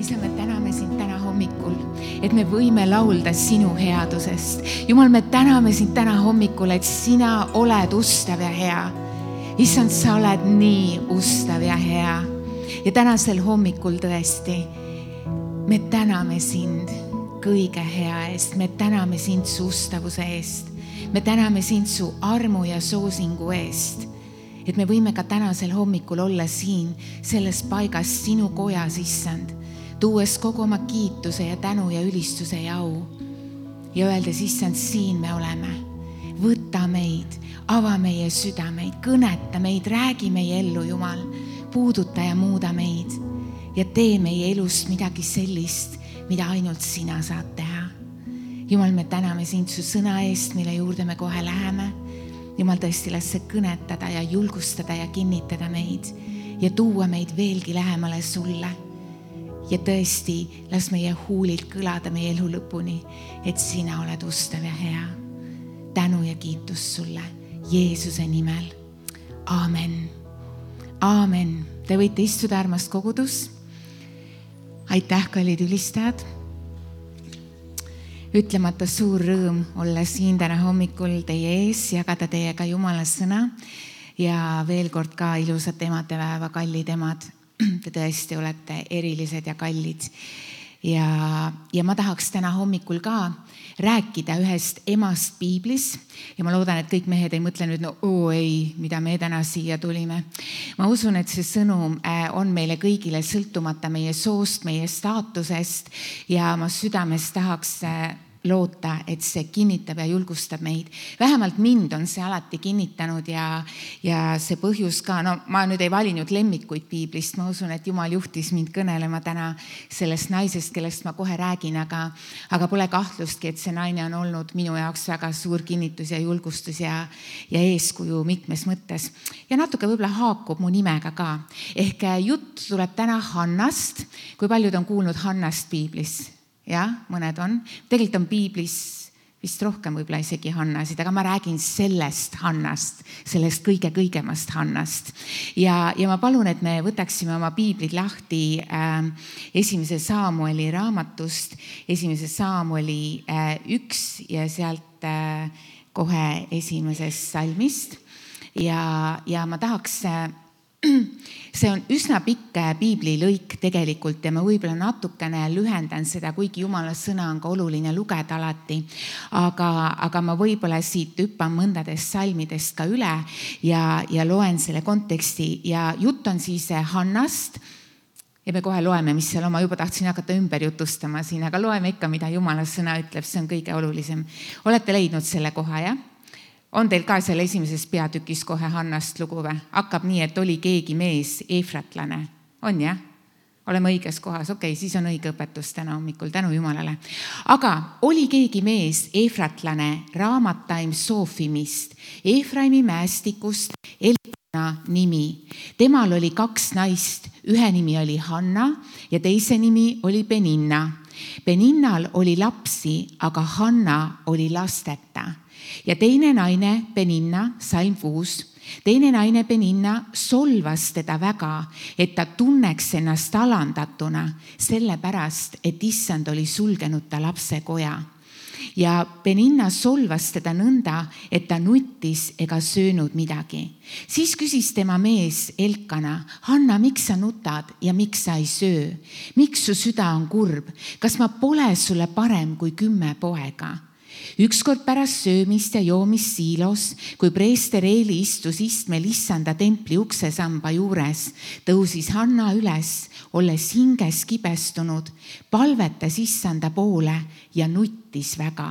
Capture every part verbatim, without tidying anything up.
isa, me täname sind täna hommikul, et me võime laulda sinu headusest. Jumal, me täname sind täna hommikul, et sina oled ustav ja hea. Issand, sa oled nii ustav ja hea. Ja tänasel hommikul tõesti, me täname sind kõige hea eest. Me täname sind su ustavuse eest. Me täname sind su armu ja soosingu eest. Et me võime ka tänasel hommikul olla siin selles paigas sinu kojas, issand, tuues kogu oma kiituse ja tänu ja ülistuse ja au. Ja öeldes, issand, siin me oleme. Võta meid, ava meie südameid, kõneta meid, räägi meie ellu, Jumal, puuduta ja muuda meid ja tee meie elust midagi sellist, mida ainult sina saad teha. Jumal, me täname sind su sõna eest, mille juurde me kohe läheme. Jumal, tõesti, las see kõnetada ja julgustada ja kinnitada meid ja tuua meid veelgi lähemale sulle. Ja tõesti, las meie huulilt kõlada meie elu lõpuni, et sina oled ustav ja hea. Tänu ja kiitus sulle Jeesuse nimel. Aamen. Aamen. Te võite istuda, armas kogudus. Aitäh, kallid ülistajad. Ütlemata suur rõõm olla siin täna hommikul teie ees, jagada teiega Jumala sõna ja veel kord ka ilusat emadepäeva, kallid emad. Te tõesti olete erilised ja kallid. Ja, ja ma tahaks täna hommikul ka rääkida ühest emast piiblis ja ma loodan, et kõik mehed ei mõtle nüüd, no oo ei, mida me täna siia tulime. Ma usun, et see sõnum on meile kõigile sõltumata meie soost, meie staatusest ja ma südames tahaks loota, et see kinnitab ja julgustab meid. Vähemalt mind on see alati kinnitanud ja, ja see põhjus ka, no ma nüüd ei valinud lemmikuid piiblist, ma usun, et Jumal juhtis mind kõnelema täna sellest naisest, kellest ma kohe räägin, aga, aga pole kahtlustki, et see naine on olnud minu jaoks väga suur kinnitus ja julgustus ja, ja eeskuju mitmes mõttes. Ja natuke võib-olla haakub mu nimega ka. Ehk jutt tuleb täna Hannast. Kui paljud on kuulnud Hannast piiblis? Ja, mõned on. Tegelikult on piiblis vist rohkem võib-olla isegi Hannasid, aga ma räägin sellest Hannast, sellest kõige-kõigemast Hannast. Ja, ja ma palun, et me võtaksime oma piiblid lahti äh, esimese Saamueli raamatust, esimese Saamueli äh, üks ja sealt äh, kohe esimesest salmist. Ja, ja ma tahaks... Äh, See on üsna pikk piibli lõik tegelikult ja ma võib-olla natukene lühendan seda, kuigi Jumala sõna on ka oluline lugeda alati. Aga, aga ma võib-olla siit hüppan mõndadest salmidest ka üle ja, ja loen selle konteksti. Ja jutt on siis Hannast ja me kohe loeme, mis seal oma juba tahtsin hakata ümber jutustama siin, aga loeme ikka, mida Jumala sõna ütleb, see on kõige olulisem. Olete leidnud selle koha, jah? On teil ka seal esimeses peatükis kohe Hannast lugu või? Hakkab nii, et oli keegi mees, eefratlane. On, jah? Oleme õiges kohas. Okei, okay, siis on õige õpetus täna hommikul. Tänu Jumalale. Aga oli keegi mees, eefratlane, Raamataim Soofimist, Eefraimi mäestikust, Elkana nimi. Temal oli kaks naist. Ühe nimi oli Hanna ja teise nimi oli Peninna. Peninnal oli lapsi, aga Hanna oli lasteta. Ja teine naine Peninna, salm kuus, teine naine Peninna solvas teda väga, et ta tunneks ennast alandatuna, sellepärast, et issand oli sulgenud ta lapse koja. Ja Peninna solvas teda nõnda, et ta nuttis ega söönud midagi. Siis küsis tema mees Elkana, Hanna, miks sa nutad ja miks sa ei söö? Miks su süda on kurb? Kas ma pole sulle parem kui kümme poega? Ükskord pärast söömist ja joomist siilos, kui preester Eeli istus istmel issanda templi uksesamba juures, tõusis Hanna üles, olles hinges kibestunud, palvetas issanda poole ja nuttis väga.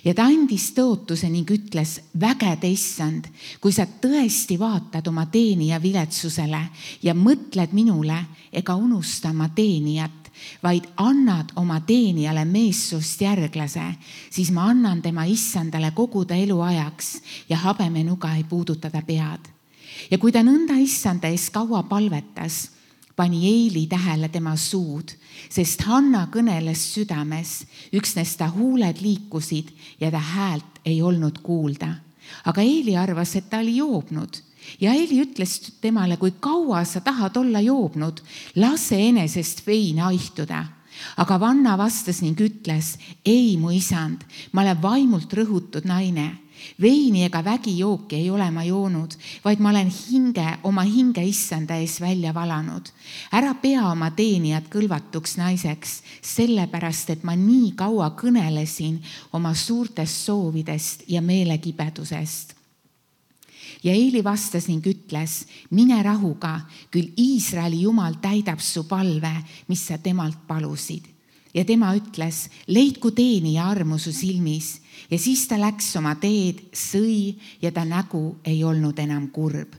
Ja ta andis tõotuse ning ütles, vägede issand, kui sa tõesti vaatad oma teenija viletsusele ja mõtled minule ega unusta oma teenijat, vaid annad oma teenijale meessoost järglase, siis ma annan tema issandale kogu ta elu ajaks ja habemenuga ei puuduta ta pead. Ja kui ta nõnda issanda ees kaua palvetas, pani Eili tähele tema suud, sest Hanna kõneles südames, üksnes ta huuled liikusid ja ta häält ei olnud kuulda. Aga Eili arvas, et ta oli joobnud Ja Eeli ütles temale, kui kaua sa tahad olla joobnud, lase enesest vein haihtuda. Aga vanna vastas ning ütles, ei mu isand, ma olen vaimult rõhutud naine. Veini ega vägijooki ei ole ma joonud, vaid ma olen hinge, oma hinge issanda ees välja valanud. Ära pea oma teenijad kõlvatuks naiseks, sellepärast, et ma nii kaua kõnelesin oma suurtest soovidest ja meelekibedusest. Ja Eeli vastas ning ütles, mine rahuga, küll Iisraeli Jumal täidab su palve, mis sa temalt palusid. Ja tema ütles, leidku teenija armu su silmis. Ja siis ta läks oma teed, sõi ja ta nägu ei olnud enam kurb.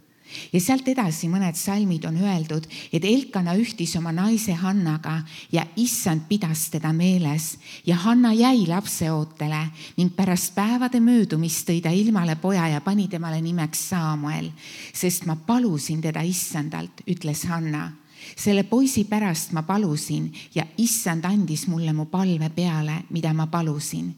Ja sealt edasi mõned salmid on öeldud, et Elkana ühtis oma naise Hannaga ja issand pidas teda meeles. Ja Hanna jäi lapseootele ning pärast päevade möödumist tõi ta ilmale poja ja pani temale nimeks Saamuel, sest ma palusin teda issandalt, ütles Hanna. Selle poisi pärast ma palusin ja issand andis mulle mu palve peale, mida ma palusin.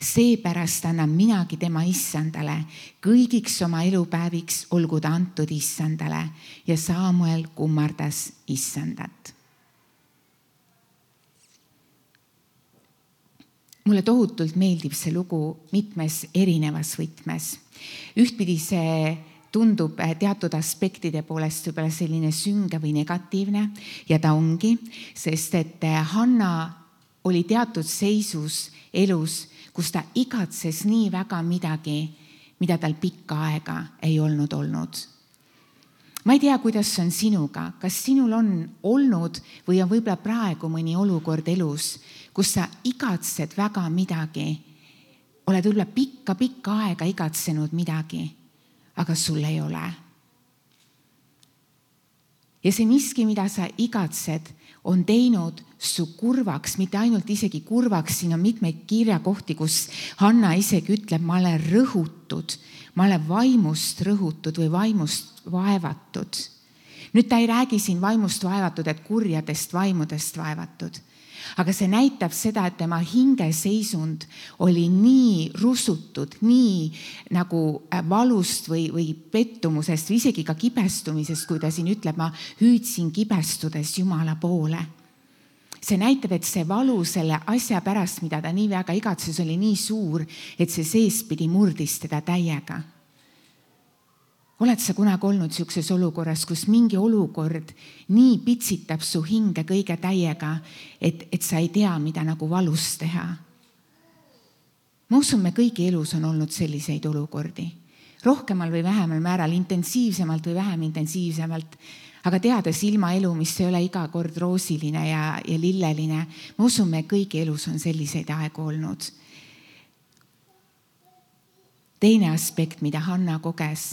Seepärast annan minagi tema issandale, kõigiks oma elupäeviks olgu ta antud issandale. Ja Saamuel kummardas issandat. Mulle tohutult meeldib see lugu mitmes erinevas võtmes. Ühtpidi see tundub teatud aspektide poolest võib-olla selline sünge või negatiivne ja ta ongi, sest et Hanna oli teatud seisus elus, kus ta igatses nii väga midagi, mida tal pikka aega ei olnud olnud. Ma ei tea, kuidas on sinuga, kas sinul on olnud või on võib-olla praegu mõni olukord elus, kus sa igatsed väga midagi, oled võib-olla pikka-pikka aega igatsenud midagi, aga sul ei ole. Ja see miski, mida sa igatsed, on teinud su kurvaks, mitte ainult isegi kurvaks, siin on mitmeid kirjakohti, kus Hanna isegi ütleb, ma olen rõhutud, ma olen vaimust rõhutud või vaimust vaevatud. Nüüd ta ei räägi siin vaimust vaevatud, et kurjadest vaimudest vaevatud. Aga see näitab seda, et tema hingeseisund oli nii rusutud, nii nagu valust või, või pettumusest või isegi ka kibestumisest, kui ta siin ütleb, ma hüüdsin kibestudes Jumala poole. See näitab, et see valu selle asja pärast, mida ta nii väga igatses, oli nii suur, et see seespidi murdis teda täiega. Oled sa kunagi olnud siukses olukorras, kus mingi olukord nii pitsitab su hinge kõige täiega, et, et sa ei tea, mida nagu valus teha? Ma usun, me kõigi elus on olnud selliseid olukordi. Rohkemal või vähemal määral, intensiivsemalt või vähem intensiivsemalt, aga teades ilma elu, mis ei ole iga kord roosiline ja, ja lilleline, ma usun, me kõigi elus on selliseid aegu olnud. Teine aspekt, mida Hanna koges,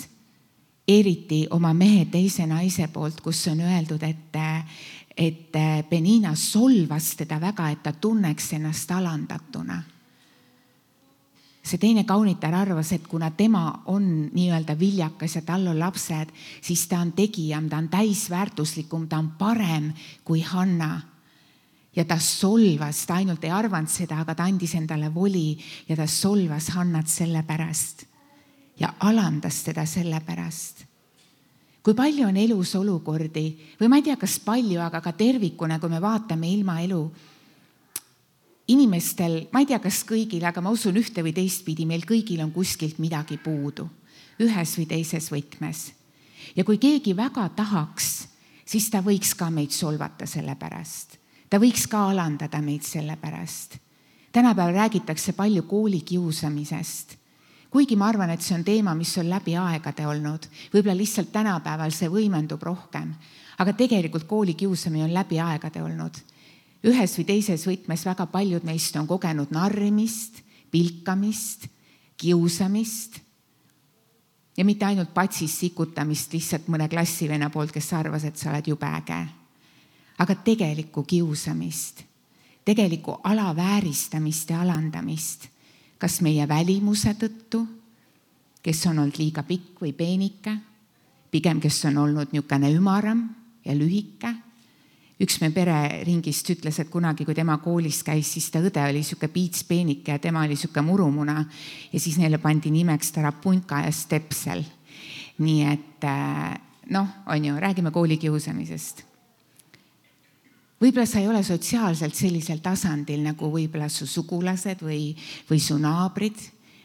eriti oma mehe teise naise poolt, kus on öeldud, et, et Penina solvas teda väga, et ta tunneks ennast alandatuna. See teine kaunitar arvas, et kuna tema on nii-öelda viljakas ja tal on lapsed, siis ta on tegijam, ta on täisväärtuslikum, ta on parem kui Hanna. Ja ta solvas, ta ainult ei arvanud seda, aga ta andis endale voli ja ta solvas Hannat selle pärast. Ja alandas teda selle pärast. Kui palju on elus olukordi, või ma ei tea, kas palju, aga ka tervikuna, kui me vaatame ilma elu, inimestel, ma ei tea, kas kõigil, aga ma usun ühte või teistpidi, meil kõigil on kuskilt midagi puudu, ühes või teises võtmes. Ja kui keegi väga tahaks, siis ta võiks ka meid solvata selle pärast. Ta võiks ka alandada meid selle pärast. Tänapäeval räägitakse palju koolikiusamisest. Kuigi ma arvan, et see on teema, mis on läbi aegade olnud. Võib-olla lihtsalt tänapäeval see võimendub rohkem. Aga tegelikult koolikiusamine on läbi aegade olnud. Ühes või teises võtmes väga paljud meist on kogenud narrimist, pilkamist, kiusamist ja mitte ainult patsis sikutamist lihtsalt mõne klassivenna poolt, kes arvas, et sa oled jube äge. Aga tegelikku kiusamist, tegelikku alavääristamist ja alandamist. Kas meie välimuse tõttu, kes on olnud liiga pikk või peenike, pigem kes on olnud niisugune ümaram ja lühike. Üks me pereringist ütles, et kunagi, kui tema koolis käis, siis ta õde oli niisugune piits peenike ja tema oli niisugune murumuna ja siis neile pandi nimeks Tarapunka ja Stepsel. nii et noh, on ju, räägime koolikiusamisest. Võib-olla sa ei ole sotsiaalselt sellisel tasandil nagu võib-olla su sugulased või, või su naabrid.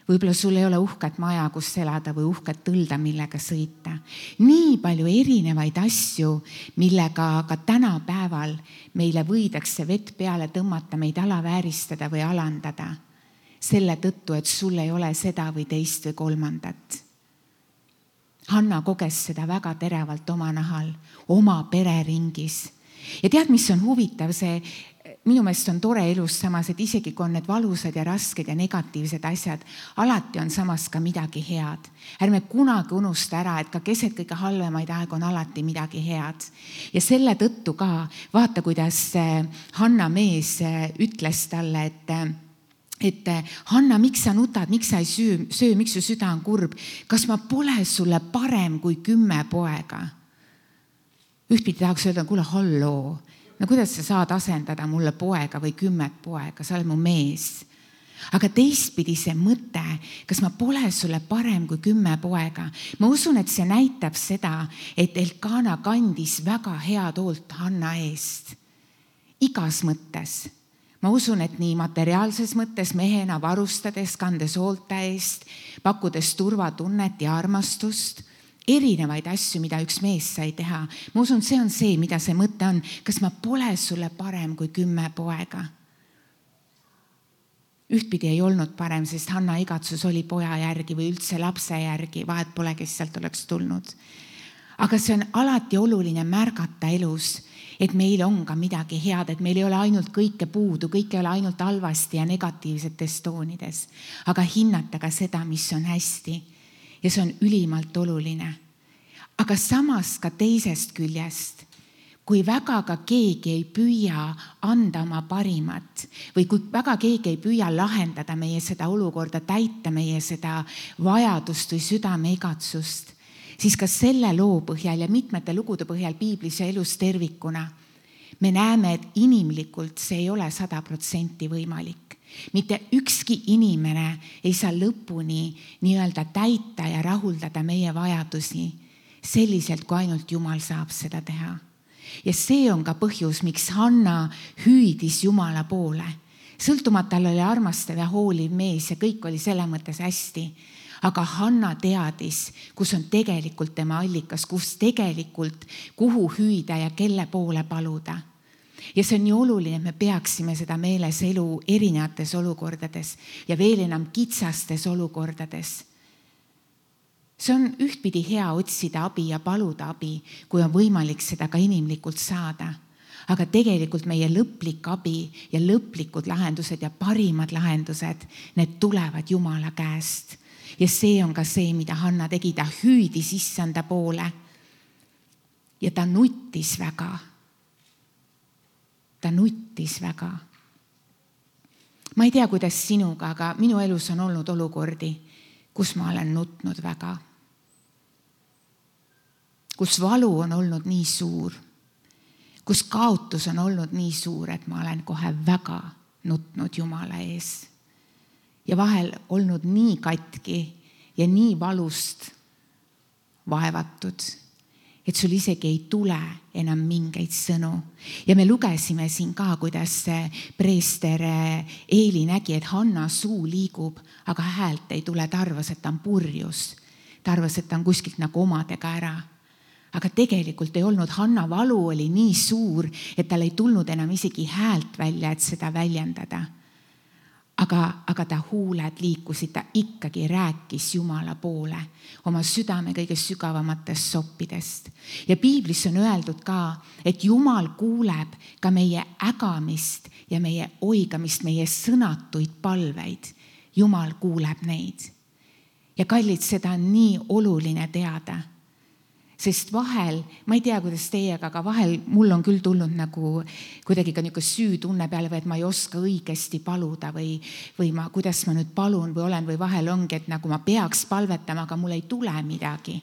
Võib-olla sul ei ole uhket maja, kus elada või uhket tõlda, millega sõita. Nii palju erinevaid asju, millega ka tänapäeval meile võidakse vett peale tõmmata, meid alavääristada või alandada. Selle tõttu, et sul ei ole seda või teist või kolmandat. Hanna koges seda väga teravalt oma nahal, oma pereringis. Ja tead, mis on huvitav, see minu meelest on tore elus samas, et isegi kui on need valusad ja rasked ja negatiivsed asjad, alati on samas ka midagi head. Ärme kunagi unusta ära, et ka keset kõige halvemaid aeg on alati midagi head. Ja selle tõttu ka vaata, kuidas Hanna mees ütles talle, et et Hanna, miks sa nutad, miks sa ei söö, söö, miks su süda on kurb? Kas ma pole sulle parem kui kümme poega? Ühtpidi tahaks öelda, kuule, halloo, no kuidas sa saad asendada mulle poega või kümmet poega, sa oled mu mees. Aga teistpidi see mõte, kas ma pole sulle parem kui kümme poega? Ma usun, et see näitab seda, et Elkana kandis väga head hoolt Hanna eest. Igas mõttes. Ma usun, et nii materiaalses mõttes mehena varustades, kandes hoolta eest, pakkudes turvatunnet ja armastust, erinevaid asju, mida üks mees sai teha. Ma usun, see on see, mida see mõte on. Kas ma pole sulle parem kui kümme poega? Ühtpidi ei olnud parem, sest Hanna igatsus oli poja järgi või üldse lapse järgi, vahet pole, kes sealt oleks tulnud. Aga see on alati oluline märgata elus, et meil on ka midagi head, et meil ei ole ainult kõike puudu, kõik ei ole ainult halvasti ja negatiivsetes toonides, aga hinnata ka seda, mis on hästi. Ja see on ülimalt oluline. Aga samas ka teisest küljest, kui väga ka keegi ei püüa anda oma parimat või kui väga keegi ei püüa lahendada meie seda olukorda, täita meie seda vajadust või südame igatsust, siis ka selle loo põhjal ja mitmete lugude põhjal piiblis ja elus tervikuna me näeme, et inimlikult see ei ole sada protsenti võimalik. Mitte ükski inimene ei saa lõpuni nii-öelda täita ja rahuldada meie vajadusi selliselt, kui ainult Jumal saab seda teha. Ja see on ka põhjus, miks Hanna hüüdis Jumala poole. Sõltumata oli armastav ja hooliv mees ja kõik oli selle mõttes hästi. Aga Hanna teadis, kus on tegelikult tema allikas, kus tegelikult, kuhu hüüda ja kelle poole paluda. Ja see on nii oluline, et me peaksime seda meeles elu erinevates olukordades ja veel enam kitsastes olukordades. See on ühtpidi hea otsida abi ja paluda abi, kui on võimalik seda ka inimlikult saada. Aga tegelikult meie lõplik abi ja lõplikud lahendused ja parimad lahendused, need tulevad Jumala käest. Ja see on ka see, mida Hanna tegi, ta hüüdis issanda poole ja ta nuttis väga. Ta nuttis väga. Ma ei tea, kuidas sinuga, aga minu elus on olnud olukordi, kus ma olen nutnud väga. Kus valu on olnud nii suur, kus kaotus on olnud nii suur, et ma olen kohe väga nutnud Jumala ees. Ja vahel olnud nii katki ja nii valust vaevatud, et sul isegi ei tule enam mingeid sõnu. Ja me lugesime siin ka, kuidas preester Eeli nägi, et Hanna suu liigub, aga häält ei tule, ta arvas, et ta on purjus. Ta arvas, et ta on kuskilt nagu omadega ära. Aga tegelikult ei olnud, Hanna valu oli nii suur, et tal ei tulnud enam isegi häält välja, et seda väljendada. Aga, aga ta huuled liikusid, ta ikkagi rääkis Jumala poole oma südame kõige sügavamatest soppidest. Ja piiblis on öeldud ka, et Jumal kuuleb ka meie ägamist ja meie oigamist, meie sõnatuid palveid. Jumal kuuleb neid. Ja kallid, seda on nii oluline teada. Sest vahel, ma ei tea, kuidas teiega, aga vahel mul on küll tulnud nagu kuidagi ka niisugune süütunne peale või et ma ei oska õigesti paluda või, või ma, kuidas ma nüüd palun või olen või vahel ongi, et nagu ma peaks palvetama, aga mul ei tule midagi.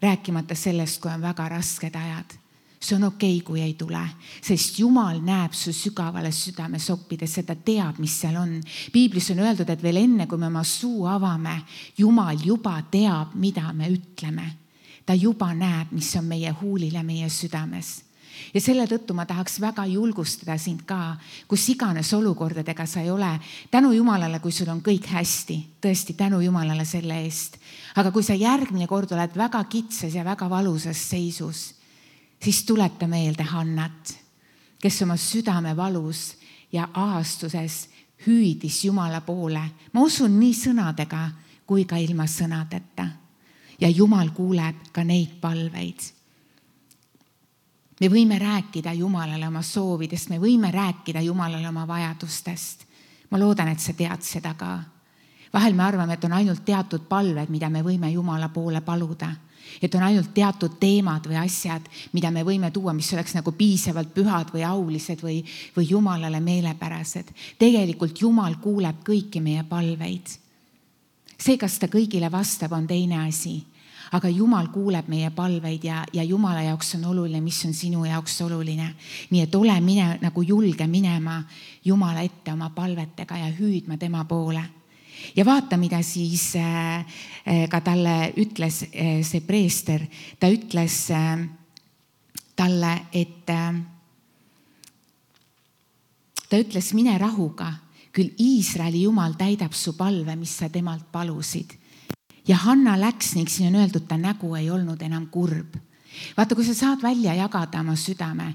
Rääkimata sellest, kui on väga rasked ajad. see on okei, kui ei tule, sest Jumal näeb su sügavale südame soppides, ta teab, mis seal on. Piiblis on öeldud, et veel enne, kui me oma suu avame, Jumal juba teab, mida me ütleme. Ta juba näeb, mis on meie huulil ja meie südames. Ja selle tõttu ma tahaks väga julgustada sind ka, kus iganes olukordadega sa ei ole. Tänu Jumalale, kui sul on kõik hästi, tõesti tänu Jumalale selle eest. Aga kui sa järgmine kord oled väga kitsas ja väga valusas seisus, siis tuleta meelde Hannat, kes oma südame valus ja ahastuses hüüdis Jumala poole. Ma usun nii sõnadega kui ka ilma sõnadeta. Ja Jumal kuuleb ka neid palveid. Me võime rääkida Jumalale oma soovidest, me võime rääkida Jumalale oma vajadustest. Ma loodan, et sa tead seda ka. Vahel me arvame, et on ainult teatud palved, mida me võime Jumala poole paluda. Et on ainult teatud teemad või asjad, mida me võime tuua, mis oleks nagu piisavalt pühad või aulised või, või Jumalale meelepärased. Tegelikult Jumal kuuleb kõiki meie palveid. See, kas ta kõigile vastab, on teine asi. Aga Jumal kuuleb meie palveid ja, ja Jumala jaoks on oluline, mis on sinu jaoks oluline. Nii et ole mine, nagu julge minema Jumala ette oma palvetega ja hüüdma tema poole. Ja vaata, mida siis ka talle ütles see preester. Ta ütles talle, et ta ütles, mine rahuga, küll Iisraeli Jumal täidab su palve, mis sa temalt palusid. Ja Hanna läks ning siin on öeldud, ta nägu ei olnud enam kurb. Vaata, kui sa saad välja jagada oma südame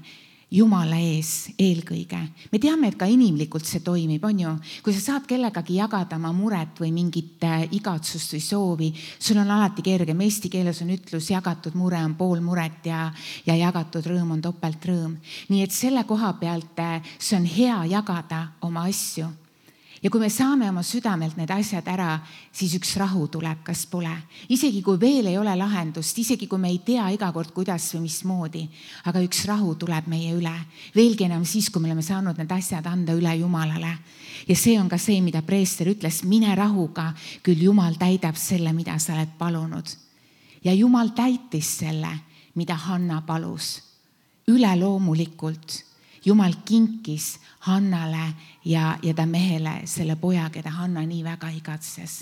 Jumala ees eelkõige. Me teame, et ka inimlikult see toimib, on ju. Kui sa saad kellegagi jagada oma muret või mingit igatsust või soovi, sul on alati kergem. Eesti keeles on ütlus, jagatud mure on pool muret ja, ja jagatud rõõm on topelt rõõm. Nii et selle koha pealt see on hea jagada oma asju. Ja kui me saame oma südamelt need asjad ära, siis üks rahu tuleb, kas pole. Isegi kui veel ei ole lahendust, isegi kui me ei tea iga kord, kuidas või mismoodi, aga üks rahu tuleb meie üle. Veelgi enam siis, kui me oleme saanud need asjad anda üle Jumalale. Ja see on ka see, mida preester ütles, mine rahuga, küll Jumal täidab selle, mida sa oled palunud. Ja Jumal täitis selle, mida Hanna palus. Üleloomulikult. Jumal kinkis Hannale ja, ja ta mehele selle poja, keda Hanna nii väga igatses.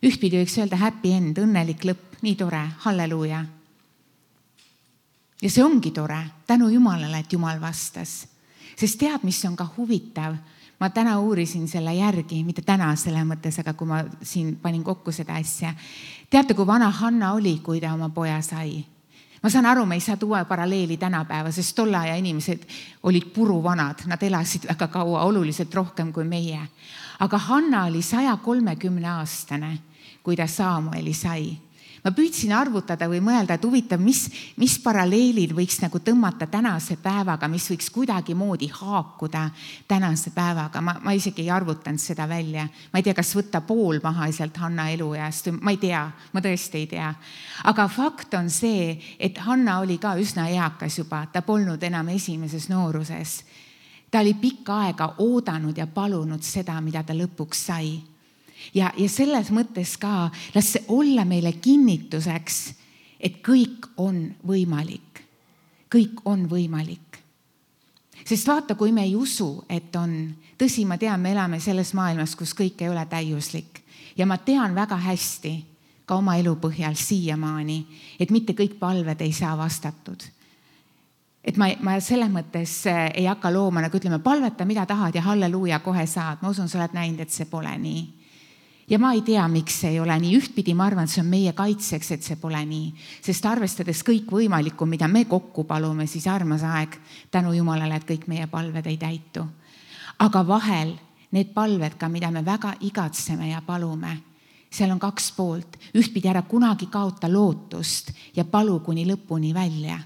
Ühtpidi võiks öelda happy end, õnnelik lõpp, nii tore, halleluuja. Ja see ongi tore, tänu Jumalale, et Jumal vastas. Sest tead, mis on ka huvitav, ma täna uurisin selle järgi, mitte täna selle mõttes, aga kui ma siin panin kokku seda asja. Teate, kui vana Hanna oli, kui ta oma poja sai? Ma saan aru, me ei saa tuua paralleeli tänapäeva, sest tolla ja inimesed olid puruvanad, nad elasid väga kaua, oluliselt rohkem kui meie. Aga Hanna oli saja kolmekümne aastane, kui ta Saamueli sai. Ma püüdsin arvutada või mõelda, et huvitav, mis, mis paralleelid võiks nagu tõmmata tänase päevaga, mis võiks kuidagi moodi haakuda tänase päevaga. Ma, ma isegi ei arvutanud seda välja. Ma ei tea, kas võtta pool maha sealt Hanna eluajast. Ma ei tea, ma tõesti ei tea. Aga fakt on see, et Hanna oli ka üsna eakas juba. Ta polnud enam esimeses nooruses. Ta oli pikka aega oodanud ja palunud seda, mida ta lõpuks sai. Ja, ja selles mõttes ka, las see olla meile kinnituseks, et kõik on võimalik. Kõik on võimalik. Sest vaata, kui me ei usu, et on, tõsi, ma tean, me elame selles maailmas, kus kõik ei ole täiuslik. Ja ma tean väga hästi, ka oma elu põhjal siiamaani, et mitte kõik palved ei saa vastatud. Et ma, ma selles mõttes ei hakka looma, nagu ütleme, palveta, mida tahad ja halleluuja kohe saad. Ma usun, sa oled näinud, et see pole nii. Ja ma ei tea, miks see ei ole nii. Ühtpidi ma arvan, et see on meie kaitseks, et see pole nii. Sest arvestades kõik võimalikku, mida me kokku palume, siis armas aeg tänu Jumalale, et kõik meie palved ei täitu. Aga vahel need palved ka, mida me väga igatseme ja palume, seal on kaks poolt. Ühtpidi ära kunagi kaota lootust ja palu kuni lõpuni välja.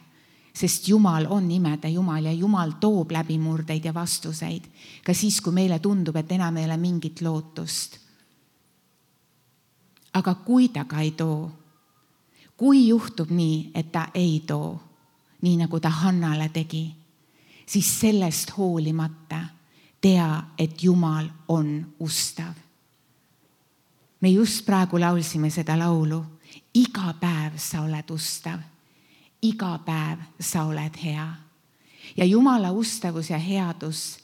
Sest Jumal on imede Jumal ja Jumal toob läbimurdeid ja vastuseid. Ka siis, kui meile tundub, et enam ei ole mingit lootust. Aga kui ta ka ei too, kui juhtub nii, et ta ei too, nii nagu ta Hannale tegi, siis sellest hoolimata tea, et Jumal on ustav. Me just praegu laulsime seda laulu. Iga päev sa oled ustav. iga päev sa oled hea. Ja Jumala ustavus ja headus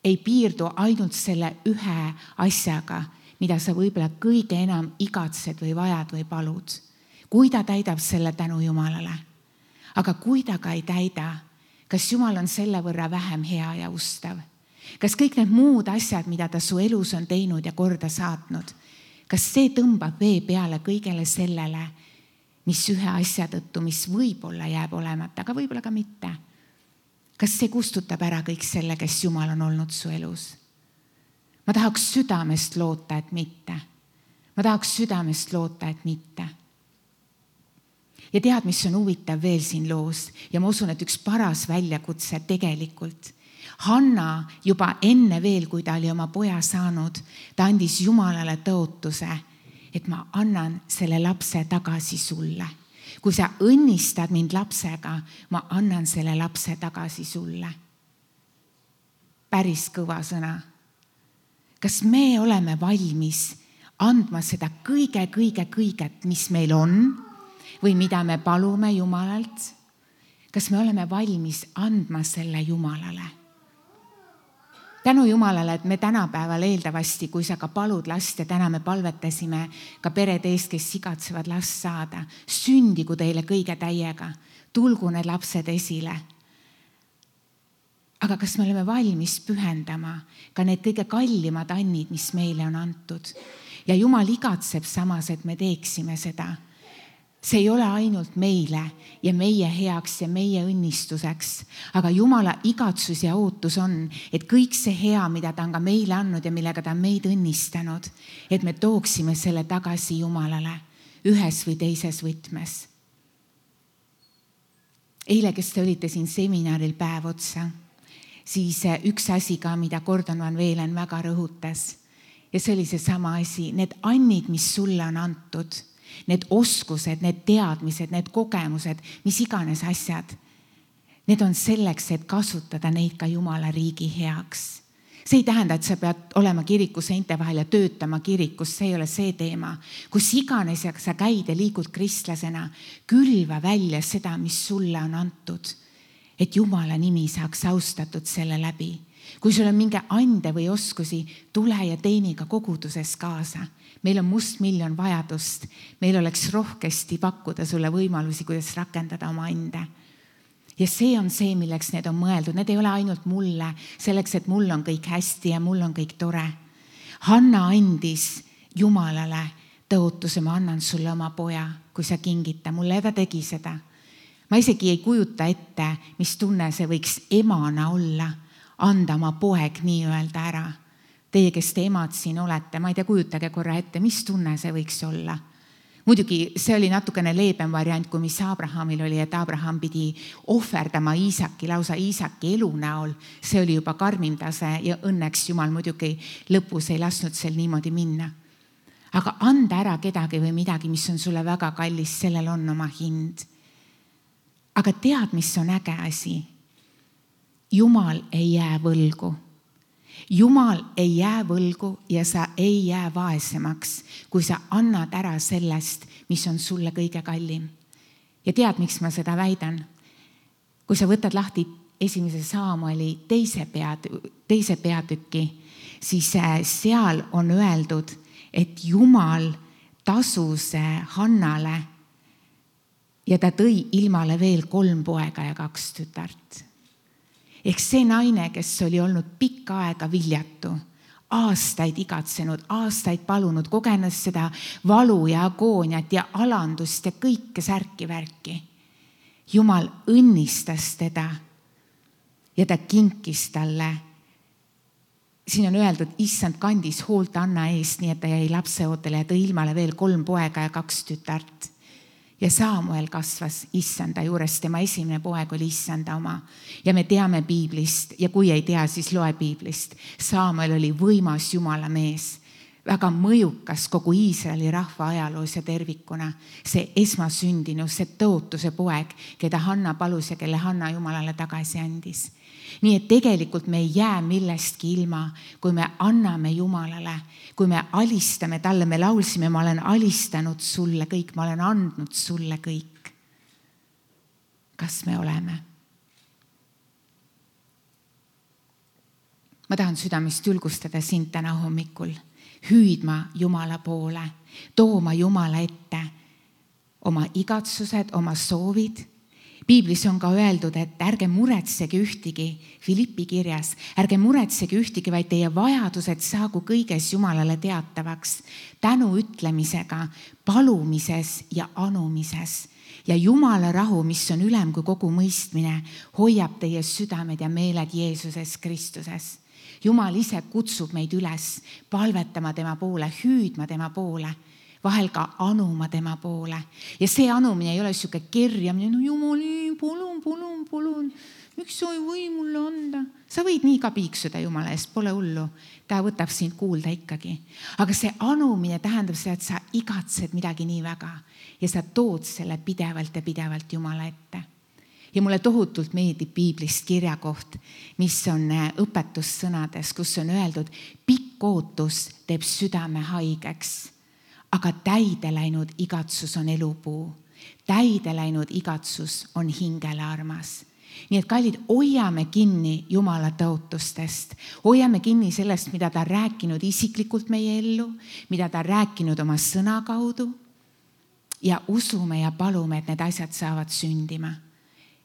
ei piirdu ainult selle ühe asjaga, mida sa võib-olla kõige enam igatsed või vajad või palud. Kui ta täidab selle tänu Jumalale. Aga kui ta ka ei täida, kas Jumal on selle võrra vähem hea ja ustav? Kas kõik need muud asjad, mida ta su elus on teinud ja korda saatnud, kas see tõmbab vee peale kõigele sellele, mis ühe asja tõttu, mis võib-olla jääb olemata, aga võib-olla ka mitte? Kas see kustutab ära kõik selle, kes Jumal on olnud su elus? Ma tahaks südamest loota, et mitte. Ma tahaks südamest loota, et mitte. Ja tead, mis on huvitav veel siin loos? Ja ma usun, et üks paras väljakutse tegelikult. Hanna juba enne veel, kui ta oli oma poja saanud, ta andis Jumalale tõotuse, et ma annan selle lapse tagasi sulle. Kui sa õnnistad mind lapsega, ma annan selle lapse tagasi sulle. Päris kõva sõna. Kas me oleme valmis andma seda kõige-kõige-kõiget, mis meil on või mida me palume Jumalalt? Kas me oleme valmis andma selle Jumalale? Tänu Jumalale, et me tänapäeval eeldavasti, kui sa ka palud last ja täna me palvetasime ka perede eest, kes igatsevad last saada, sündigu teile kõige täiega, tulgu need lapsed esile. Aga kas me oleme valmis pühendama ka need kõige kallimad annid, mis meile on antud? Ja Jumal igatseb samas, et me teeksime seda. See ei ole ainult meile ja meie heaks ja meie õnnistuseks, aga Jumala igatsus ja ootus on, et kõik see hea, mida ta on ka meile andnud ja millega ta on meid õnnistanud, et me tooksime selle tagasi Jumalale ühes või teises võtmes. Eile, kes te olite siin seminaril päev otsa, siis üks asi ka, mida Gordon Van Velen väga rõhutas, ja see oli see sama asi, need annid, mis sulle on antud, need oskused, need teadmised, need kogemused, mis iganes asjad, need on selleks, et kasutada neid ka Jumala riigi heaks. See ei tähenda, et sa pead olema kiriku seinte vahel ja töötama kirikus, see ei ole see teema. Kus iganes sa käid ja liigud kristlasena, külva välja seda, mis sulle on antud, et Jumala nimi saaks austatud selle läbi. Kui sul on mingi ande või oskusi, tule ja teeni ka koguduses kaasa. Meil on must miljon vajadust. Meil oleks rohkesti pakkuda sulle võimalusi, kuidas rakendada oma ande. Ja see on see, milleks need on mõeldud. Need ei ole ainult mulle, selleks, et mul on kõik hästi ja mul on kõik tore. Hanna andis Jumalale tõotuse, ma annan sulle oma poja, kui sa kingita mulle, ja ta tegi seda. Ma isegi ei kujuta ette, mis tunne see võiks emana olla, anda oma poeg nii-öelda ära. Teie, kes te emad siin olete, ma ei tea, kujutage korra ette, mis tunne see võiks olla. Muidugi see oli natukene leebem variant, kui mis Abrahamil oli, et Abraham pidi ohverdama Iisaki, lausa Iisaki elu näol. See oli juba karmim tase ja õnneks Jumal muidugi lõpus ei lasknud sel niimoodi minna. Aga anda ära kedagi või midagi, mis on sulle väga kallis, sellel on oma hind. Aga tead, mis on äge asi? Jumal ei jää võlgu. Jumal ei jää võlgu ja sa ei jää vaesemaks, kui sa annad ära sellest, mis on sulle kõige kallim. Ja tead, miks ma seda väidan? Kui sa võtad lahti esimese Saamueli teise, peat, teise peatüki, siis seal on öeldud, et Jumal tasus Hannale ja ta tõi ilmale veel kolm poega ja kaks tütart. Ehk see naine, kes oli olnud pikka aega viljatu, aastaid igatsenud, aastaid palunud, kogenud seda valu ja agooniat ja alandust ja kõike särki värki. Jumal õnnistas teda ja ta kinkis talle. Siin on öeldud, issand kandis hoolt Anna eest, nii et ta jäi lapseootele ja tõi ilmale veel kolm poega ja kaks tütart. Ja Saamuel kasvas issanda juures, tema esimene poeg oli issanda oma. Ja me teame piiblist ja kui ei tea, siis loe piiblist. Saamuel oli võimas Jumala mees, väga mõjukas kogu Iisraeli rahva ajaloos ja tervikuna. See esmasündinus, see tõotuse poeg, keda Hanna palus ja kelle Hanna Jumalale tagasi andis. Nii et tegelikult me ei jää millestki ilma, kui me anname Jumalale, kui me alistame talle, me laulsime, ma olen alistanud sulle kõik, ma olen andnud sulle kõik. kas me oleme. Ma tahan südamest julgustada sind täna hommikul, hüüdma Jumala poole, tooma Jumala ette oma igatsused, oma soovid. Piiblis on ka öeldud, et ärge muretsege ühtigi, Filippi kirjas, ärge muretsege ühtigi, vaid teie vajadused saagu kõiges Jumalale teatavaks, tänu ütlemisega, palumises ja anumises. Ja Jumala rahu, mis on ülem kui kogu mõistmine, hoiab teie südamed ja meeled Jeesuses Kristuses. Jumal ise kutsub meid üles palvetama tema poole, hüüdma tema poole, vahel ka anuma tema poole. Ja see anumine ei ole siuke kerjamine, no Jumali, palun, palun, palun, miks sa ei või mulle anda? Sa võid nii ka piiksuda Jumala eest, pole hullu. Ta võtab sind kuulda ikkagi. Aga see anumine tähendab seda, et sa igatsed midagi nii väga ja sa tood selle pidevalt ja pidevalt Jumala ette. Ja mulle tohutult meeldib Piiblist kirjakoht, mis on õpetussõnades, kus on öeldud, pikk ootus teeb südame haigeks, aga täide läinud igatsus on elupuu. Täide läinud igatsus on hingele armas. Nii et kallid, hoiame kinni Jumala tõotustest, hoiame kinni sellest, mida ta on rääkinud isiklikult meie ellu, mida ta on rääkinud oma sõna kaudu ja usume ja palume, et need asjad saavad sündima.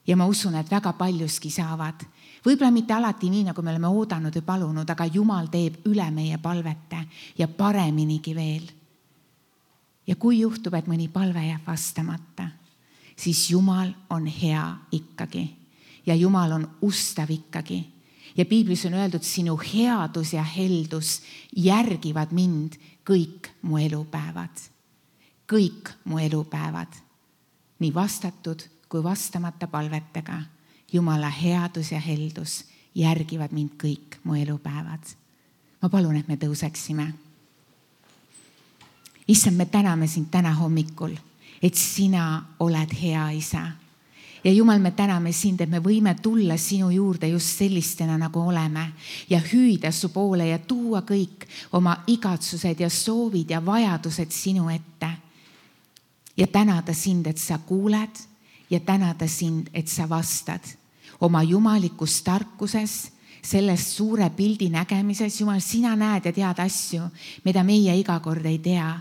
Ja ma usun, et väga paljuski saavad. Võib-olla mitte alati nii, nagu me oleme oodanud või palunud, aga Jumal teeb üle meie palvete ja pareminigi veel. Ja kui juhtub, et mõni palve jääb vastamata, siis Jumal on hea ikkagi ja Jumal on ustav ikkagi. Ja Piiblis on öeldud, sinu headus ja heldus järgivad mind kõik mu elupäevad. Kõik mu elupäevad. Nii vastatud kui vastamata palvetega. Jumala headus ja heldus järgivad mind kõik mu elupäevad. Ma palun, et me tõuseksime. Issand, me täname sind täna hommikul, et sina oled hea isa. Ja Jumal, me täname sind, et me võime tulla sinu juurde just sellistena, nagu oleme ja hüüda su poole ja tuua kõik oma igatsused ja soovid ja vajadused sinu ette. Ja tänada sind, et sa kuuled ja tänada sind, et sa vastad oma jumalikus tarkuses, sellest suure pildi nägemises. Jumal, sina näed ja tead asju, mida meie iga kord ei tea.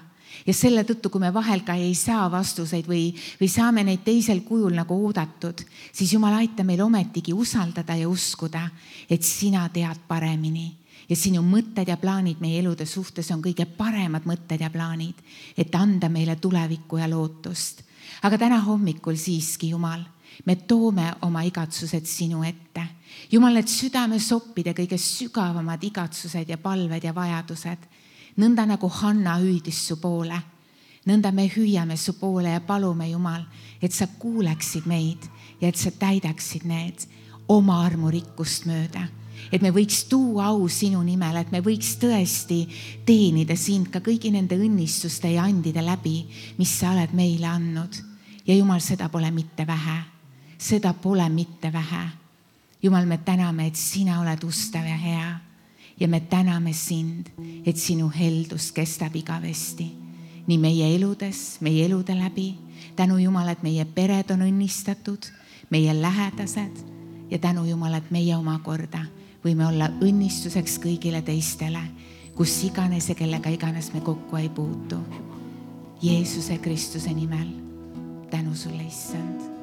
Ja selle tõttu, kui me vahel ka ei saa vastuseid või, või saame neid teisel kujul nagu oodatud, siis Jumal, aita meil ometigi usaldada ja uskuda, et sina tead paremini. Ja sinu mõtted ja plaanid meie elude suhtes on kõige paremad mõtted ja plaanid, et anda meile tulevikku ja lootust. Aga täna hommikul siiski, Jumal, me toome oma igatsused sinu ette. Jumal, et südame soppide kõige sügavamad igatsused ja palved ja vajadused, nõnda nagu Hanna hüüdis su poole. Nõnda me hüüame su poole ja palume, Jumal, et sa kuuleksid meid ja et sa täidaksid need oma armurikkust mööda. Et me võiks tuua au sinu nimel, et me võiks tõesti teenida sind ka kõigi nende õnnistuste ja andide läbi, mis sa oled meile andnud. Ja Jumal, seda pole mitte vähe. Seda pole mitte vähe. Jumal, me täname, et sina oled ustav ja hea. Ja me täname sind, et sinu heldus kestab igavesti. Nii meie eludes, meie elude läbi. Tänu Jumal, et meie pered on õnnistatud, meie lähedased. Ja tänu Jumal, et meie oma korda võime olla õnnistuseks kõigile teistele, kus iganes ja kellega iganes me kokku ei puutu. Jeesuse Kristuse nimel. Tänu sulle, Issand.